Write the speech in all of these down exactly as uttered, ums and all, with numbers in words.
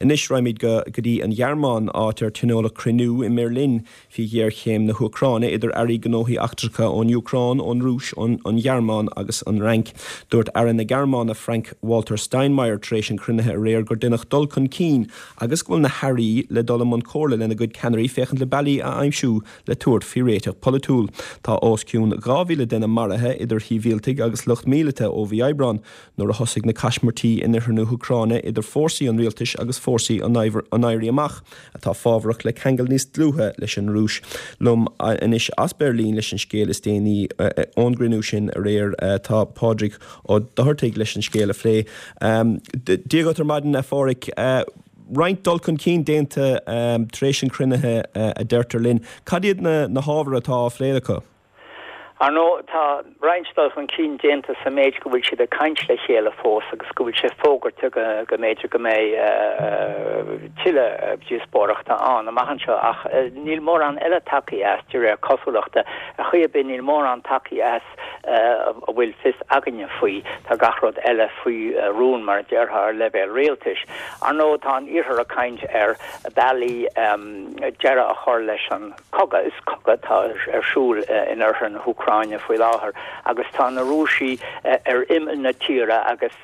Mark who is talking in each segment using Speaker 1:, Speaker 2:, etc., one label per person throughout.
Speaker 1: Anois raghaimid go go dtí an Ghearmáin áit ar tionóladh cruinniú i mBeirlín faoi ghéarchéim na hÚcráine idir airí gnóthaí eachtracha ón Úcráin, ón Rúis, an Ghearmáin agus an Fhrainc. Dúirt Aire na Gearmáine Frank Walter Steinmeier tar éis an chruinnithe aréir gur deineadh dul chun cinn agus go bhfuil na hairí le dul i mbun comhairle lena gcuid ceannairí féachaint le bealaí a aimsiú le tabhairt faoi réiteach polaitiúil. Tá os cionn dhá mhíle duine maraithe idir shibhialtaigh agus lucht míleata ó mhí Aibreáin nuair a thosaigh na caismirtí in oirthear na hÚcráine idir fórsaí an rialtais agus fórsaí an Éirí Amach atá fábharach le ceangal níos dlúithe leis an Rúis. Liom anois as Beirlín leis an scéal is déanaí ón gcruinniú sin aréir tá Pádraig Ó Dochartaigh leis an scéal a phlé. Dia dhuit ar maidin a Phádraig, roinnt dul chun cinn déanta tar éis an chruinnithe a deirtear linn. Cad iad na hábhair atá á phlé acu?
Speaker 2: Ar ndóigh, tá roinnt dul chun cinn déanta sa méid go bhfuil siad ag caint le chéile fós agus go bhfuil sé fógartha go go mb'fhéidir go mbeidh tuilleadh díospóireachta ann amach anseo ach níl mórán eile tagtha as de réir cosúlachta. Ar chaoi ar bith níl mórán tagtha as a bhfuil fios againne faoi. Tá gach rud eile faoi rún mar a déarfá ar leibhéal rialtais. Ar ndóigh, tá an Iarthar ag caint ar bealaí deireadh a chur leis an cogadh. Is cogadh atá ar siúl in oirthear na hÚcráine faoi láthair agus tá na Rúisigh ar imeall na tíre agus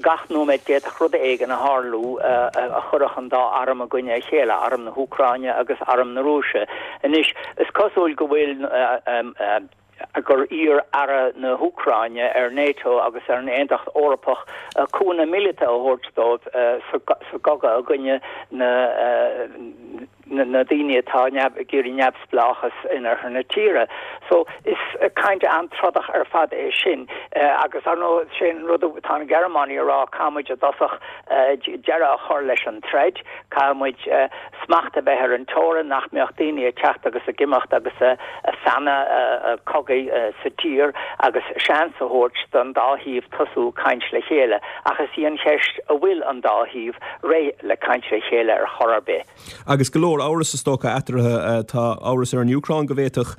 Speaker 2: gach nóiméad d'fhéadfadh rud éigin a tharlú a chuirfeadh an dá arm i gcoinne a chéile, arm na hÚcráine agus arm na Rúise. Anois, is cosúil go bhfuil gur iarr Aire na hÚcráine ar NATO agus ar an Aontacht Eorpach cúnamh míleata a thabhairt dóibh sa gcogadh i gcoinne na na daoine atá ag iarraidh neamhspleáchas in oirthear na tíre. So is caint an-trodach ar fad é sin agus ar ndóigh sé an rud atá na Gearmánaigh a rá caithfidh muid i dtosach deireadh a chur leis an troid, caithfidh muid smacht a bheith ar an teorainn, nach mbeadh daoine ag teacht agus ag imeacht agus ag feannadh cogaidh sa tír agus seans a thabhairt don dá thaobh tosú caint le chéile. Ach is í an cheist an bhfuil an dá thaobh réidh le caint le chéile ar chor ar bith.
Speaker 1: Agus go leor amhras is dócha eatarthu. Tá amhras ar an Úcráin go bhféadfadh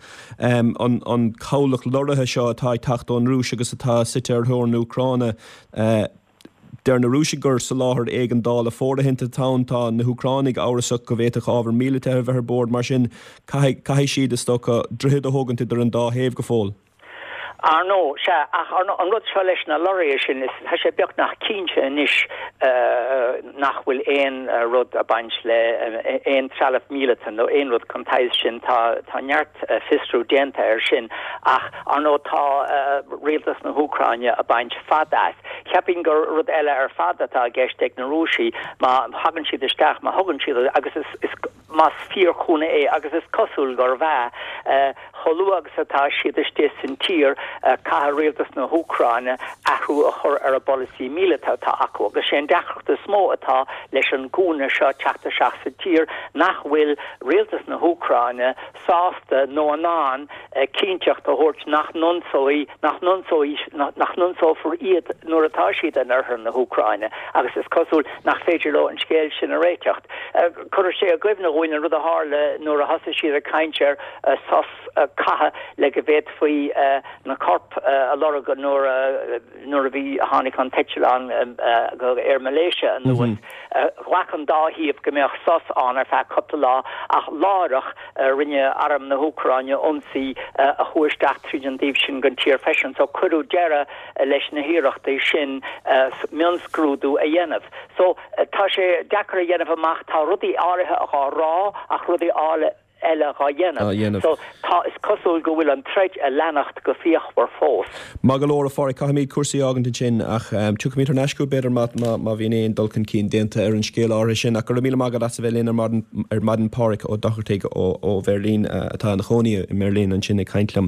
Speaker 1: an cabhlach lorraithe seo atá ag teacht ón Rúis agus atá suite ar theorainn na hÚcráine, Deir na Rúisigh gur soláthar éigeandála fóirithinte atá ann. Tá na hÚcránaigh amhrasach go bhféadfadh ábhar míleata a bheith ar bord. Mar sin, caithfidh siad, is dócha, droichead a thógaint idir an dá thaobh go fóill.
Speaker 2: Ar ndóigh, sea, ach an rud seo leis na lorraithe sin, is, tá sé beagnach cinnte anois nach bhfuil aon rud ag baint le aon trealamh míleata nó aon rud den tsaghas sin. Tá, tá neart fiosrú déanta air sin ach, ar ndóigh, tá rialtas na hÚcráine ag baint fad as. Cheapfainn gur rud eile ar fad atá i gceist ag na Rúisigh má thagann siad isteach, má thugann siad, agus is, is, más fíorchúnamh é, agus is cosúil gurbh ea, chomh luath agus atá siad istigh san tír, caithfidh rialtas na hÚcráine athrú a chur ar an bpolasaí míleata atá acu. Agus sé an deacracht is mó atá leis an gcúnamh seo teacht isteach sa tír nach bhfuil rialtas na hÚcráine sásta nó in ann cinnteacht a thabhairt nach n-ionsóidh, nach n-ionsóidh, nach n-ionsófar iad nuair atá siad in oirthear na hÚcráine agus is cosúil nach féidir leo an scéal sin a réiteacht. Cuirfidh sé i gcuimhne dhúinn an rud a tharla nuair a thosaigh siad ag caint ar sos catha le go bhféadfaí na coirp a lorg nuair a nuair a bhí tháinig an t-eitleán go Air Malaysia anuas. Ghlac an dá thaobh go mbeadh sos ann ar feadh cúpla lá ach láithreach rinne arm na hÚcráine ionsaí a chuaigh isteach tríd an dtaobh sin den tír freisin so cuireadh deireadh leis na hiarrachtaí sin mionscrúdú a dhéanamh. So tá sé deacair a dhéanamh amach, tá rudaí áirithe dhá rá ach rudaí eile dhá dhéanamh. So tá, is cosúil go bhfuil an troid ag leanacht go fíochmhar fós.
Speaker 1: Maith go leor, a Phádraig, caithfimid cúrsaí a fhágaint ansin ach tiocfaimid thar n-ais chugat b'fhéidir má má bhíonn aon dul chun cinn déanta ar an scéal áirithe sin. Ach go raibh míle maith agat as a bheith linn ar maidin ar maidin Pádraig Ó Dochartaigh ó ó Bheirlín atá ina chónaí i mBeirlín ansin ag caint liom.